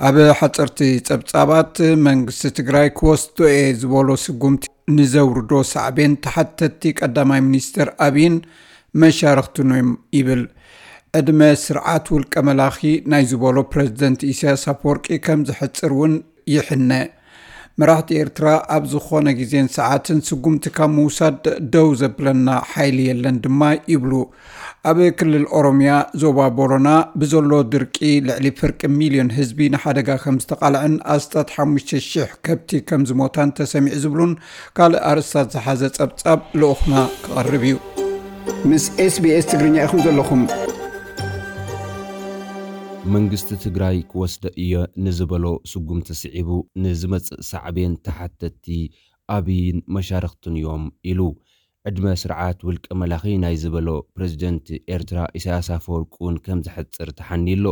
ኣብ ሓፀርቲ ፀብፃባት መንግስቲ ትግራይ ክወስዶ እየ ዝበሎ ስጉምቲ ንዘውርዶ ሳዕቤን ተሓተቲ ቀዳማይ ሚኒስትር ኣብይን መሻርኽቱን እዮም ይብል። ዕድመ ስርዓት ውልቀ መላኺ ናይ ዝበሎ ፕሬዝደንት ኢሳያስ ኣፈወርቂ ከም ዝሕፅር እውን ይሕነ። መራሕቲ ኤርትራ ኣብ ዝኾነ ግዜን ሰዓትን ስጉምቲ ካብ ምውሳድ ደው ዘብለና ሓይሊ የለን ድማ ይብሉ። ኣብ ክልል ኦሮምያ ዞባ ቦረና ብዘሎ ድርቂ ልዕሊ ፍርቂ ሚልዮን ህዝቢ ንሓደጋ ከም ዝተቓልዐን ኣስታት ሓሙሽተ ሽሕ ከብቲ ከም ዝሞታን ተሰሚዑ ዝብሉን ካልእ ኣርእስታት ዝሓዘ ጸብጻብ ልኡኽና ክቐርብ እዩ። ምስ ኤስቢኤስ ትግርኛ ኢኹም ዘለኹም። መንግስቲ ትግራይ ክወስደ እየ ንዝበሎ ስጉምቲ ስዒቡ ንዝመጽእ ሳዕቤን ተሓተቲ ኣብይን መሻርኽቱን እዮም ኢሉ። ዕድመ ስርዓት ውልቀ መላኺ ናይ ዝበሎ ፕሬዝደንት ኤርትራ ኢሳያስ ኣፈወርቂ እውን ከም ዘሕጽር ተሓንዩ ኣሎ።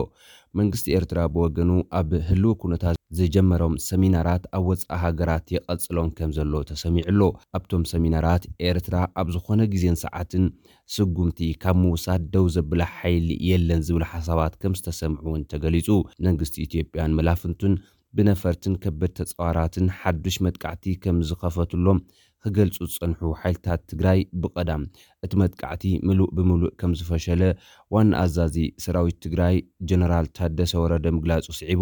መንግስቲ ኤርትራ ብወገኑ ኣብ ህልው ኩነታት ዝጀመሮም ሰሚናራት ኣብ ወጻኢ ሃገራት ይቐጽሎም ከም ዘሎ ተሰሚዑ ኣሎ። ኣብቶም ሰሚናራት ኤርትራ ኣብ ዝኾነ ግዜን ሰዓትን ስጉምቲ ካብ ምውሳድ ደው ዘብላ ሓይሊ የለን ዝብል ሓሳባት ከም ዝተሰምዑ እውን ተገሊጹ። መንግስቲ ኢትዮጵያን መላፍንቱን ብነፈርትን ከበድ ተጻዋራትን ሓዱሽ መጥቃዕቲ ከም ዝኸፈትሎም ክገልጹ ዝጸንሑ ሓይልታት ትግራይ ብቐዳም እቲ መጥቃዕቲ ምሉእ ብምሉእ ከም ዝፈሸለ ዋና ኣዛዚ ሰራዊት ትግራይ ጀነራል ታደሰ ወረደ ምግላጹ ስዒቡ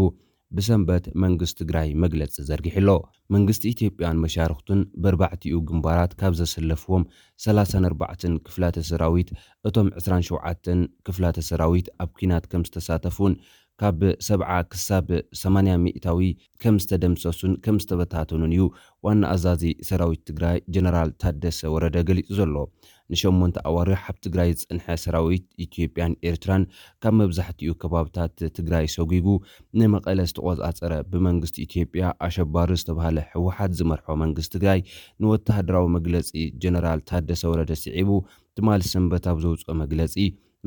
ብሰንበት መንግስቲ ትግራይ መግለጺ ዘርጊሑ ኣሎ። መንግስቲ ኢትዮጵያን መሻርኽቱን በርባዕቲኡ ግንባራት ካብ ዘሰለፍዎም ሰላሳን ኣርባዕተን ክፍላተ ሰራዊት እቶም ዕስራን ሸውዓተን ክፍላተ ሰራዊት ኣብ ኲናት ከም ዝተሳተፉን ካብ ሰብዓ ክሳብ ሰማንያ ሚእታዊ ከም ዝተደምሰሱን ከም ዝተበታተኑን እዩ ዋና ኣዛዚ ሰራዊት ትግራይ ጀነራል ታደሰ ወረደ ገሊጹ ዘሎ። ንሸሞንተ ኣዋርሕ ኣብ ትግራይ ዝጸንሐ ሰራዊት ኢትዮጵያን ኤርትራን ካብ መብዛሕትኡ ከባብታት ትግራይ ሰጒጉ ንመቐለ ዝተቖጻጸረ ብመንግስቲ ኢትዮጵያ ኣሸባሪ ዝተባህለ ህወሓት ዝመርሖ መንግስቲ ትግራይ ንወተሃደራዊ መግለጺ ጀነራል ታደሰ ወረደ ስዒቡ ትማሊ ሰንበት ኣብ ዘውፅኦ መግለፂ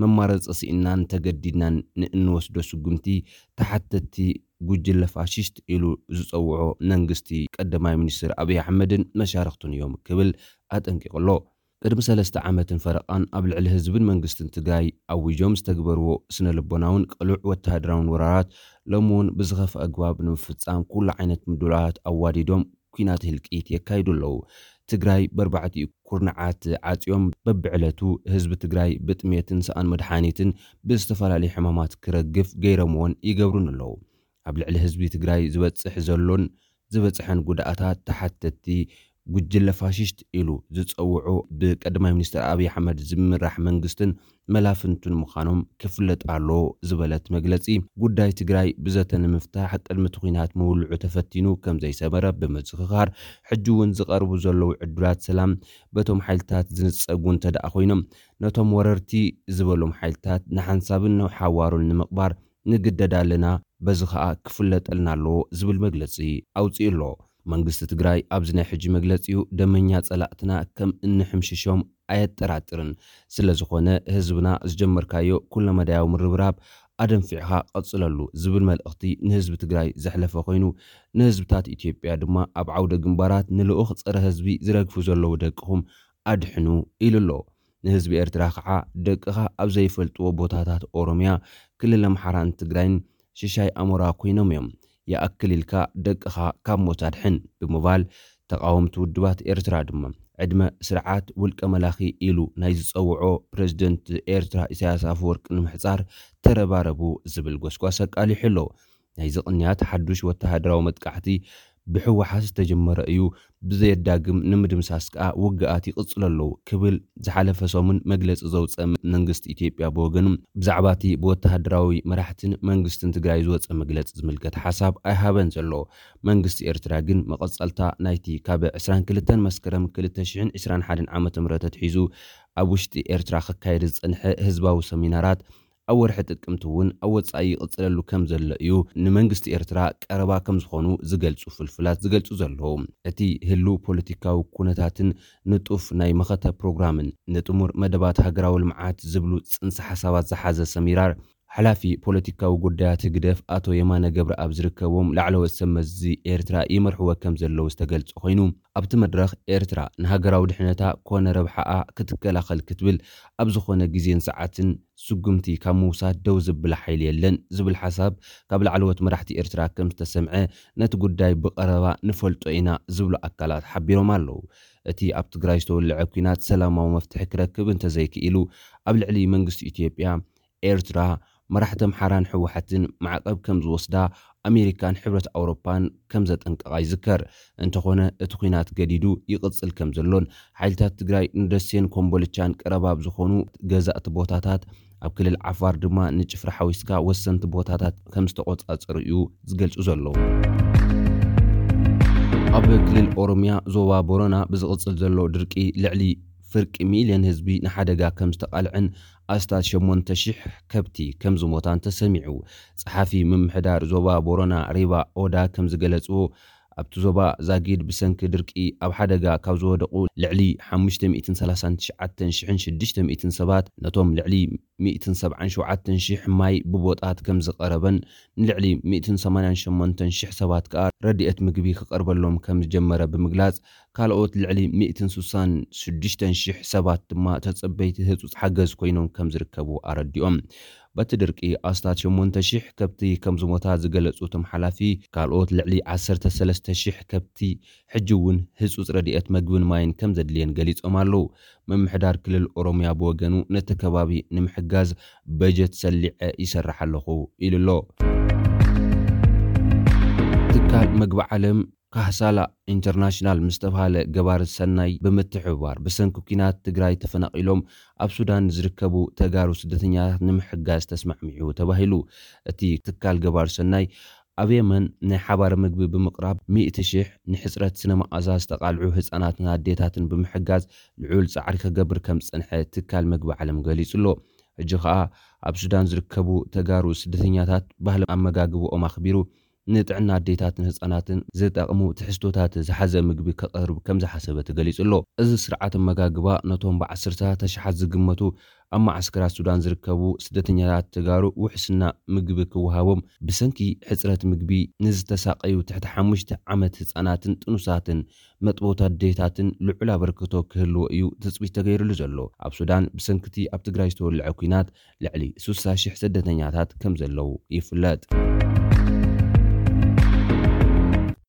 መማረፂ ስኢናን ተገዲድናን ንእንወስዶ ስጉምቲ ተሓተቲ ጉጅለ ፋሽስት ኢሉ ዝፀውዖ መንግስቲ ቀዳማይ ሚኒስትር ኣብይ ኣሕመድን መሻርኽቱን እዮም ክብል ኣጠንቂቑ ኣሎ። ቅድሚ ሰለስተ ዓመትን ፈረቓን ኣብ ልዕሊ ህዝብን መንግስትን ትግራይ ኣዊጆም ዝተግበርዎ ስነ ልቦናውን ቅሉዕ ወተሃደራውን ወራራት ሎሚ እውን ብዝኸፍአ ኣግባብ ንምፍፃም ኩሉ ዓይነት ምድላዋት ኣዋዲዶም ኲናት ህልቂት የካይዱ ኣለዉ። ትግራይ በርባዕቲኡ ኩርናዓት ዓፅዮም በብዕለቱ ህዝቢ ትግራይ ብጥሜትን ሰኣን መድሓኒትን ብዝተፈላለዩ ሕማማት ክረግፍ ገይሮምዎን ይገብሩን ኣለዉ። ኣብ ልዕሊ ህዝቢ ትግራይ ዝበፅሕ ዘሎን ዝበፅሐን ጉድኣታት ተሓተቲ ጉጅለ ፋሽስት ኢሉ ዝፀውዖ ብቀዳማይ ሚኒስትር ኣብይ ኣሕመድ ዝምራሕ መንግስትን መላፍንቱን ምዃኖም ክፍለጥ ኣለዎ ዝበለት መግለፂ፣ ጉዳይ ትግራይ ብዘተ ንምፍታሕ ቅድሚ እቲ ኲናት ምውልዑ ተፈቲኑ ከም ዘይሰመረ ብምዝኽኻር፣ ሕጂ እውን ዝቐርቡ ዘለዉ ዕድላት ሰላም በቶም ሓይልታት ዝንፀጉ እንተ ደኣ ኮይኖም፣ ነቶም ወረርቲ ዝበሎም ሓይልታት ንሓንሳብን ንሓዋሩን ንምቕባር ንግደድ ኣለና፣ በዚ ኸኣ ክፍለጠልና ኣለዎ ዝብል መግለጺ ኣውጺኡ ኣሎ። መንግስቲ ትግራይ ኣብዚ ናይ ሕጂ መግለጺኡ ደመኛ ጸላእትና ከም እንሕምሽሾም ኣየጠራጥርን። ስለ ዝኾነ ህዝብና ዝጀመርካዮ ኩለመዳያዊ ምርብራብ ኣደንፊዕኻ ቀጽለሉ ዝብል መልእኽቲ ንህዝቢ ትግራይ ዘሕለፈ ኮይኑ፣ ንህዝብታት ኢትዮጵያ ድማ ኣብ ዓውደ ግንባራት ንልኡኽ ጸረ ህዝቢ ዝረግፉ ዘለዉ ደቅኹም ኣድሕኑ ኢሉ ኣሎ። ንህዝቢ ኤርትራ ከዓ ደቅኻ ኣብ ዘይፈልጥዎ ቦታታት ኦሮምያ፣ ክልል ኣምሓራን ትግራይን ሽሻይ ኣሞራ ኮይኖም እዮም። ይኣክል ኢልካ ደቅኻ ካብ ሞት ኣድሕን ብምባል ተቓወምቲ ውድባት ኤርትራ ድማ ዕድመ ስርዓት ውልቀ መላኺ ኢሉ ናይ ዝጸውዖ ፕሬዝደንት ኤርትራ ኢሳያስ ኣፈወርቂ ንምሕጻር ተረባረቡ ዝብል ጎስጓስ ኣቃሊሑ ኣሎ። ናይዚ ቅንያት ሓዱሽ ወተሃደራዊ መጥቃዕቲ ብህወሓት ዝተጀመረ እዩ፣ ብዘየዳግም ንምድምሳስ ከኣ ውግኣት ይቕጽሉ ኣለዉ ክብል ዝሓለፈ ሰሙን መግለጺ ዘውጸ መንግስቲ ኢትዮጵያ ብወገኑ ብዛዕባ እቲ ብወተሃደራዊ መራሕትን መንግስትን ትግራይ ዝወጸ መግለጺ ዝምልከት ሓሳብ ኣይሃበን ዘሎ። መንግስቲ ኤርትራ ግን መቐጸልታ ናይቲ ካብ ዕስራን ክልተን መስከረም ክልተ ሽሕን ዕስራን ሓደን ዓመተ ምህረት ኣትሒዙ ኣብ ውሽጢ ኤርትራ ክካየድ ዝጸንሐ ህዝባዊ ሰሚናራት ኣብ ወርሒ ጥቅምቲ እውን ኣብ ወጻኢ ይቕጽለሉ ከም ዘሎ እዩ ንመንግስቲ ኤርትራ ቀረባ ከም ዝኾኑ ዝገልጹ ፍልፍላት ዝገልጹ ዘለዉ። እቲ ህሉው ፖለቲካዊ ኩነታትን ንጡፍ ናይ መኸተ ፕሮግራምን ንጥሙር መደባት ሃገራዊ ልምዓት ዝብሉ ጽንሰ ሓሳባት ዝሓዘ ሰሚራር ሓላፊ ፖለቲካዊ ጉዳያት ህግደፍ ኣቶ የማነ ገብረኣብ ዝርከቦም ላዕለዎት ሰብ መዚ ኤርትራ ይመርሕዎ ከም ዘለዉ ዝተገልጸ ኮይኑ፣ ኣብቲ መድረኽ ኤርትራ ንሃገራዊ ድሕነታ ኮነ ረብሓኣ ክትከላኸል ክትብል ኣብ ዝኾነ ግዜን ሰዓትን ስጉምቲ ካብ ምውሳድ ደው ዝብላ ሓይሊ የለን ዝብል ሓሳብ ካብ ላዕለዎት መራሕቲ ኤርትራ ከም ዝተሰምዐ፣ ነቲ ጉዳይ ብቐረባ ንፈልጦ ኢና ዝብሉ ኣካላት ሓቢሮም ኣለዉ። እቲ ኣብ ትግራይ ዝተወልዐ ኲናት ሰላማዊ መፍትሒ ክረክብ እንተዘይክኢሉ፣ ኣብ ልዕሊ መንግስቲ ኢትዮጵያ፣ ኤርትራ፣ መራሕቲ ኣምሓራን ህወሓትን ማዕቐብ ከም ዝወስዳ ኣሜሪካን ሕብረት ኣውሮፓን ከም ዘጠንቀቓ ይዝከር። እንተኾነ እቲ ኲናት ገዲዱ ይቕጽል ከም ዘሎን ሓይልታት ትግራይ ንደሴን ኮምቦልቻን ቀረባ ኣብ ዝኾኑ ገዛእቲ ቦታታት፣ ኣብ ክልል ዓፋር ድማ ንጭፍራ ሓዊስካ ወሰንቲ ቦታታት ከም ዝተቖጻጸሩ እዩ ዝገልጹ ዘለዉ። ኣብ ክልል ኦሮምያ ዞባ ቦረና ብዝቕጽል ዘሎ ድርቂ ልዕሊ ፍርቂ ሚልዮን ህዝቢ ንሓደጋ ከም ዝተቓልዐን ኣስታት ሸሞንተ ሽሕ ከብቲ ከም ዝሞታን ተሰሚዑ። ጸሓፊ ምምሕዳር ዞባ ቦረና ሪባ ኦዳ ከም ዝገለጽዎ፣ ኣብቲ ዞባ ዛጊድ ብሰንኪ ድርቂ ኣብ ሓደጋ ካብ ዝወደቑ ልዕሊ ሓሙሽተ ሚእትን ሰላሳን ትሽዓተን ሽሕን ሽዱሽተ ሚእትን ሰባት ነቶም ልዕሊ ሚእትን ሰብዓን ሸውዓተን ሽሕ ማይ ብቦጣት ከም ዝቐረበን ንልዕሊ ሚእትን ሰማንያን ሸሞንተን ሽሕ ሰባት ከኣ ረድኤት ምግቢ ክቐርበሎም ከም ዝጀመረ ብምግላጽ፣ ካልኦት ልዕሊ ሚእትን ስሳን ሽዱሽተን ሽሕ ሰባት ድማ ተጸበይቲ ህጹጽ ሓገዝ ኮይኖም ከም ዝርከቡ ኣረዲኦም። በቲ ድርቂ ኣስታት ሸሞንተ ሽሕ ከብቲ ከም ዝሞታ ዝገለጹ እቶም ሓላፊ፣ ካልኦት ልዕሊ ዓሰርተ ሰለስተ ሽሕ ከብቲ ሕጂ እውን ህጹጽ ረድኤት መግብን ማይን ከም ዘድልየን ገሊጾም ኣለዉ። ምምሕዳር ክልል ኦሮምያ ብወገኑ ነቲ ከባቢ ንምሕጋዝ በጀት ሰሊዐ ይሰርሕ ኣለኹ ኢሉ ኣሎ። ትካል መግቢ ዓለም ካህሳላ ኢንተርናሽናል ምስ ተባሃለ ገባሪ ሰናይ ብምትሕብባር ብሰንኪ ኲናት ትግራይ ተፈናቒሎም ኣብ ሱዳን ዝርከቡ ተጋሩ ስደተኛታት ንምሕጋዝ ተስማዕሚዑ ተባሂሉ። እቲ ትካል ገባሪ ሰናይ ኣብ የመን ናይ ሓባር ምግቢ ብምቕራብ ሚእቲ ሽሕ ንሕጽረት ስነ መኣዛ ዝተቓልዑ ህጻናትን ኣዴታትን ብምሕጋዝ ልዑል ጻዕሪ ክገብር ከም ዝጸንሐ ትካል መግቢ ዓለም ገሊጹ ኣሎ። ሕጂ ኸኣ ኣብ ሱዳን ዝርከቡ ተጋሩ ስደተኛታት ባህሊ ኣመጋግብኦም ኣኽቢሩ ንጥዕና ኣዴታትን ህጻናትን ዝጠቕሙ ትሕዝቶታት ዝሓዘ ምግቢ ከቐርብ ከም ዝሓሰበ ተገሊጹ ኣሎ። እዚ ስርዓት ኣመጋግባ ነቶም ብዓሰርተታት ኣሽሓት ዝግመቱ ኣብ መዓስከራት ሱዳን ዝርከቡ ስደተኛታት ተጋሩ ውሕስና ምግቢ ክወሃቦም፣ ብሰንኪ ሕጽረት ምግቢ ንዝተሳቐዩ ትሕቲ ሓሙሽተ ዓመት ህጻናትን ጥኑሳትን መጥቦት ኣዴታትን ልዑል ኣበርክቶ ክህልዎ እዩ ትጽቢት ተገይሩሉ ዘሎ። ኣብ ሱዳን ብሰንኪ እቲ ኣብ ትግራይ ዝተወልዐ ኲናት ልዕሊ ስሳ ሽሕ ስደተኛታት ከም ዘለዉ ይፍለጥ።